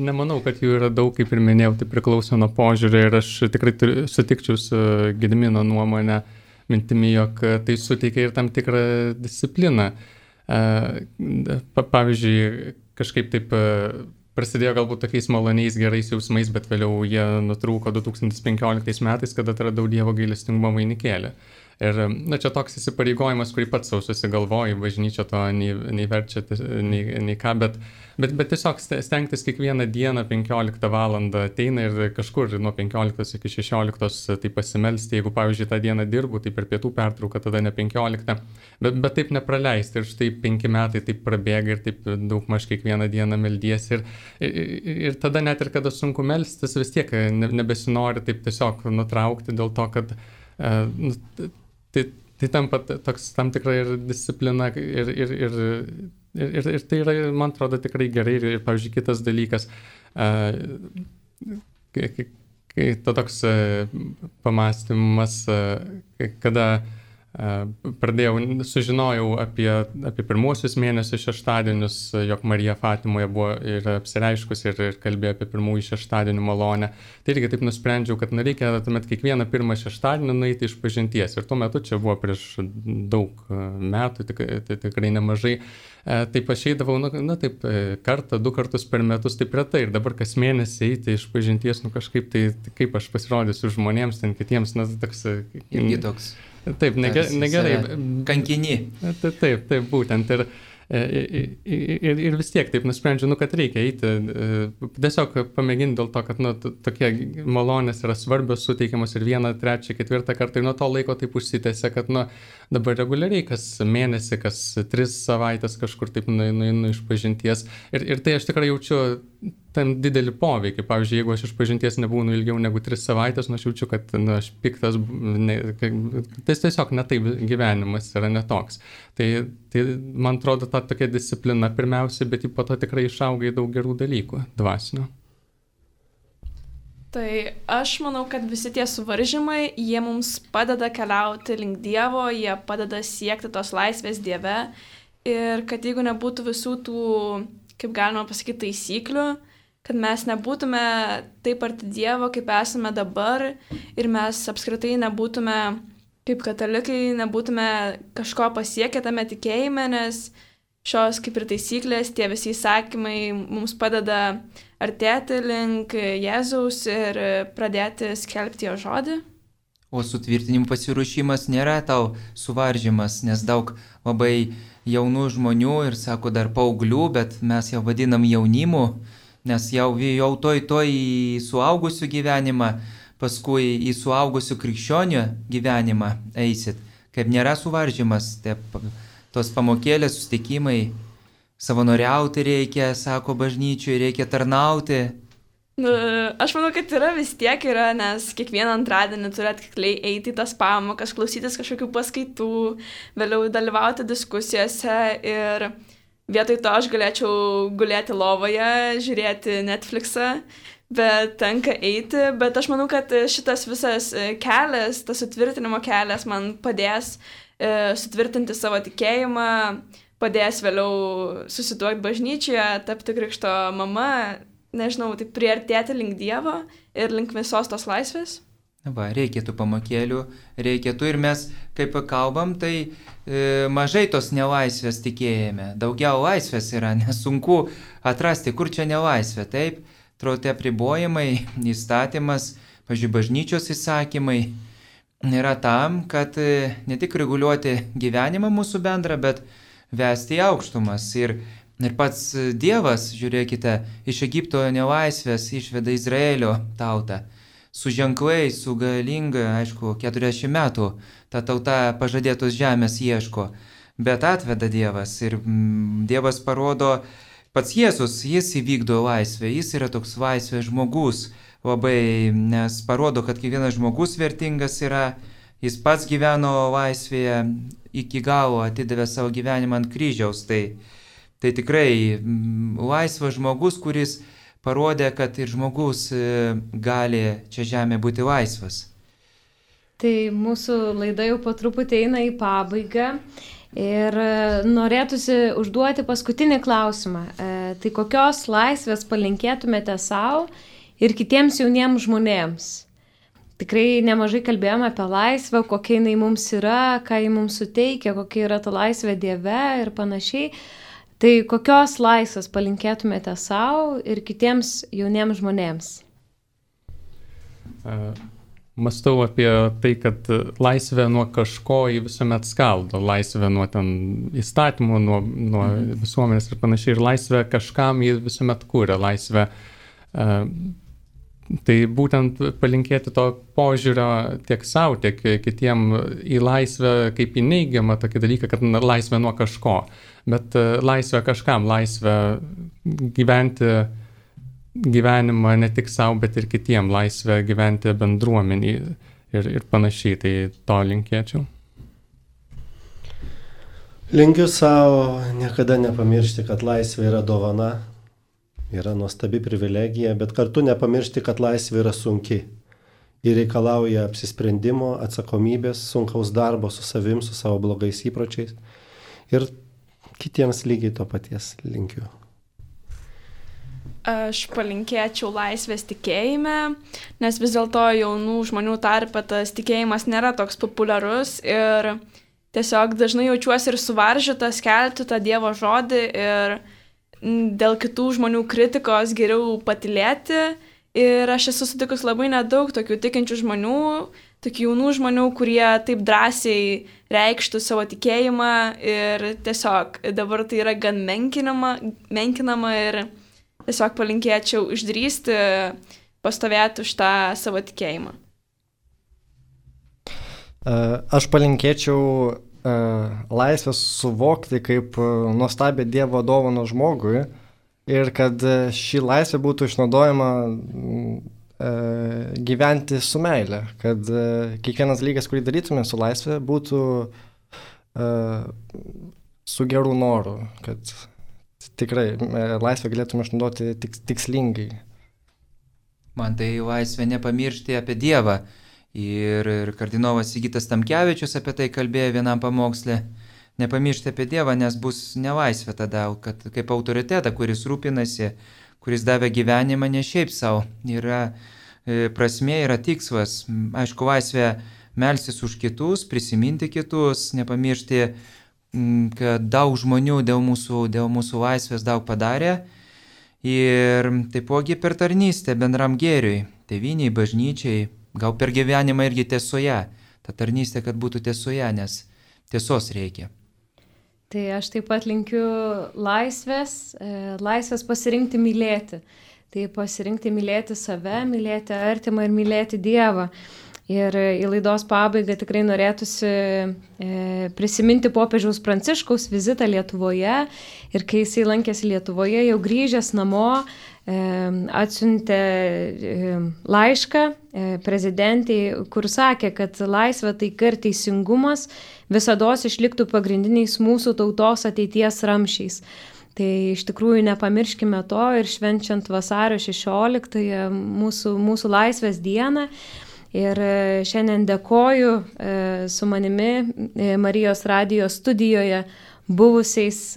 Nemanau, kad jų yra daug, kaip ir minėjau, tai priklauso nuo požiūrį ir aš tikrai sutikčiau su Gedimino nuomonė mintimi, jog tai suteikia ir tam tikrą discipliną. Pavyzdžiui, kažkaip taip prasidėjo galbūt tokiais maloniais, gerais jausmais, bet vėliau jie nutrūko 2015 metais, kada atradau Dievo gailestingumo vainikėlį. Ir čia toks įsipareigojimas, kurį pats savo susigalvoju, bažnyčia to nei verčia, nei ką, bet tiesiog stengtis kiekvieną dieną 15 valandą ateina ir kažkur nuo 15 iki 16 tai pasimelsti. Jeigu, pavyzdžiui, tą dieną dirbu, tai per pietų pertrauką tada ne 15, bet taip nepraleisti. Ir štai 5 metai taip prabėga ir taip daugmaž kiekvieną dieną meldiesi. Ir tada net ir kada sunku melstis, vis tiek nebesinori taip tiesiog nutraukti dėl to, kad tai tampa toks tam tikra ir disciplina ir tai yra, man atrodo, tikrai gerai. Ir pavyzdžiui, kitas dalykas, kai to toks pamastymas, kada sužinojau apie pirmuosius mėnesius šeštadienius, jog Marija Fatimoje buvo ir apsireiškus ir kalbėjo apie pirmųjų šeštadienių malonę. Tai irgi taip nusprendžiau, kad reikia tuomet kiekvieną pirmą šeštadienį nueiti išpažinties. Ir tuo metu čia buvo prieš daug metų, tikrai nemažai. Taip aš eidavau, taip, kartą, 2 kartus per metus, taip retai. Ir dabar kas mėnesį eiti išpažinties, kažkaip tai kaip aš pasirodysiu žmonėms, ten kitiems, toks... Irgi toks. Taip, negerai. Kankini. Taip, būtent. Ir vis tiek taip nusprendžiu, kad reikia eiti, tiesiog pamėginti dėl to, kad tokie malonės yra svarbios, suteikiamos ir 1, 3, 4 kartą ir nuo to laiko taip užsitęsia, kad dabar reguliariai kas mėnesį, kas 3 savaitės kažkur taip nueinu išpažinties ir tai aš tikrai jaučiu tam didelį poveikį. Pavyzdžiui, jeigu aš išpažinties nebūnu ilgiau negu 3 savaitės, aš jaučiu, kad aš piktas, tai tiesiog ne taip gyvenimas yra netoks. Tai man atrodo, ta tokia disciplina pirmiausia, bet po to tikrai išauga į daug gerų dalykų dvasinio. Tai aš manau, kad visi tie suvaržymai, jie mums padeda keliauti link Dievo, jie padeda siekti tos laisvės Dieve ir kad jeigu nebūtų visų tų, kaip galima pasakyti, taisyklių, kad mes nebūtume taip arti Dievo, kaip esame dabar ir mes apskritai nebūtume, kaip katalikai, nebūtume kažko pasiekę tame tikėjime, nes šios kaip ir taisyklės, tie visi įsakymai mums padeda artėti link Jėzaus ir pradėti skelbti jo žodį. O sutvirtinimų pasiruošimas nėra tau suvaržymas, nes daug labai jaunų žmonių ir sako dar paauglių, bet mes jau vadinam jaunimu, nes jau toj į suaugusių gyvenimą, paskui į suaugusių krikščionių gyvenimą eisit. Kaip nėra suvaržymas, tos pamokėlės, susitikimai, savanoriauti reikia, sako bažnyčiui, reikia tarnauti. Aš manau, kad vis tiek yra, nes kiekvieną antradienį turi atkakliai eiti į tas pamokas, klausytis kažkokių paskaitų, vėliau dalyvauti diskusijose ir vietoj to aš galėčiau gulėti lovoje, žiūrėti Netflixą, bet tenka eiti, bet aš manau, kad šitas visas kelias, tas sutvirtinimo kelias man padės sutvirtinti savo tikėjimą, padės vėliau susituokti bažnyčioje, tapti krikšto mama, nežinau, tai priartėti link Dievo ir link visos tos laisvės. Va, reikėtų pamokėlių, reikėtų ir mes, kaip kalbam, tai mažai tos nelaisvės tikėjime. Daugiau laisvės yra, nesunku atrasti, kur čia nelaisvė. Taip, trote apribojimai, įstatymas, pavyzdžiui, bažnyčios įsakymai yra tam, kad ne tik reguliuoti gyvenimą mūsų bendrą, bet vesti į aukštumas. Ir pats Dievas, žiūrėkite, iš Egipto nelaisvės išveda Izraelio tautą. Su ženklais, su galinga, aišku, 40 metų ta tauta pažadėtos žemės ieško, bet atveda Dievas ir Dievas parodo, pats Jėzus, jis įvykdo laisvę, jis yra toks laisvės žmogus, labai, nes parodo, kad kiekvienas žmogus vertingas yra, jis pats gyveno laisvėje, iki galo atidavė savo gyvenimą ant kryžiaus, tai tikrai laisvas žmogus, kuris parodė, kad ir žmogus gali čia žemė būti laisvas. Tai mūsų laida jau po truputį eina į pabaigą ir norėtųsi užduoti paskutinį klausimą. Tai kokios laisvės palinkėtumėte savo ir kitiems jauniems žmonėms? Tikrai nemažai kalbėjome apie laisvę, kokia jinai mums yra, ką ji mums suteikia, kokia yra ta laisvė Dieve ir panašiai. Tai kokios laisvės palinkėtumėte savo ir kitiems jauniems žmonėms? Mąstau apie tai, kad laisvė nuo kažko jį visuomet skaldo. Laisvė nuo ten įstatymų, nuo visuomenės ir panašiai. Ir laisvė kažkam jį visuomet kūrė. Laisvė. Tai būtent palinkėti to požiūrio tiek savo, tiek kitiem į laisvę kaip į neigiamą tokį dalyką, kad laisvė nuo kažko. Bet laisvė kažkam, laisvė gyventi gyvenimą ne tik savo, bet ir kitiem, laisvę gyventi bendruomenį ir panašiai, tai to linkėčiau. Linkiu savo niekada nepamiršti, kad laisvė yra dovana, yra nuostabi privilegija, bet kartu nepamiršti, kad laisvė yra sunki. ir reikalauja apsisprendimo, atsakomybės, sunkaus darbo su savim, su savo blogais įpročiais. Ir kitiems lygiai to paties linkiu. Aš palinkėčiau laisvės tikėjime, nes vis dėlto jaunų žmonių tarpe tas tikėjimas nėra toks populiarus ir tiesiog dažnai jaučiuosi ir suvaržytas skelbti tą Dievo žodį ir dėl kitų žmonių kritikos geriau patylėti. Ir aš esu sutikus labai nedaug tokių tikinčių žmonių, tokių jaunų žmonių, kurie taip drąsiai reikštų savo tikėjimą ir tiesiog dabar tai yra gan menkinama ir tiesiog palinkėčiau išdrįsti, pastovėti už tą savo tikėjimą. Aš palinkėčiau laisvės suvokti kaip nuostabią Dievo dovaną žmogui ir kad ši laisvė būtų išnaudojama gyventi su meile, kad kiekvienas dalykas, kurį darytume su laisvė, būtų su geru noru, kad tikrai laisvę galėtume išnaudoti tikslingai. Man tai laisvė nepamiršti apie Dievą. Ir kardinolas Sigitas Tamkevičius apie tai kalbėjo vienam pamoksle. Nepamiršti apie Dievą, nes bus nelaisvė tada, kad kaip autoritetą, kuris rūpinasi, kuris davė gyvenimą ne šiaip savo. Yra prasmė, yra tikslas. Aišku, laisvė melstis už kitus, prisiminti kitus, nepamiršti, kad daug žmonių dėl mūsų laisvės daug padarė. Ir taipogi per tarnystę bendram gėriui, tėvynei, bažnyčiai, gal per gyvenimą irgi tiesoje. Ta tarnystė, kad būtų tiesoje, nes tiesos reikia. Tai aš taip pat linkiu laisvės pasirinkti mylėti. Tai pasirinkti mylėti save, mylėti artimą ir mylėti Dievą. Ir į laidos pabaigą tikrai norėtųsi prisiminti popiežiaus Pranciškaus vizitą Lietuvoje. Ir kai jisai lankėsi Lietuvoje, jau grįžęs namo, atsiuntė laišką prezidentei, kur sakė, kad laisvė, taika ir teisingumas visados išliktų pagrindiniais mūsų tautos ateities ramsčiais. Tai iš tikrųjų nepamirškime to ir švenčiant vasario 16 mūsų laisvės dieną. Ir šiandien dėkoju su manimi Marijos radijo studijoje buvusiais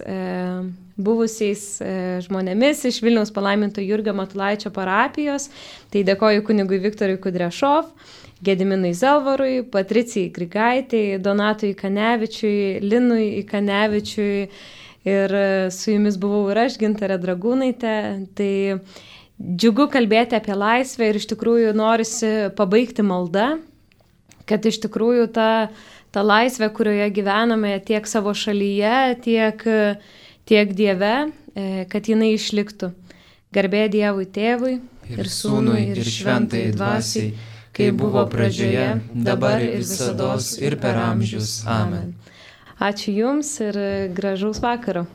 žmonėmis iš Vilniaus palaiminto Jurgio Matulaičio parapijos. Tai dėkoju kunigui Viktorui Kudrešov, Gediminui Zelvarui, Patricijai Grigaitei, Donatui Ikanevičiui, Linui Ikanevičiui ir su jumis buvau ir aš, Gintarė Dragūnaitė. Tai džiugu kalbėti apie laisvę ir iš tikrųjų norisi pabaigti maldą, kad iš tikrųjų ta laisvė, kurioje gyvename tiek savo šalyje, tiek Dieve, kad jinai išliktų. Garbė Dievui Tėvui ir Sūnui ir Šventajai Dvasiai, kaip buvo pradžioje, dabar ir visados ir per amžius. Amen. Ačiū Jums ir gražaus vakaro.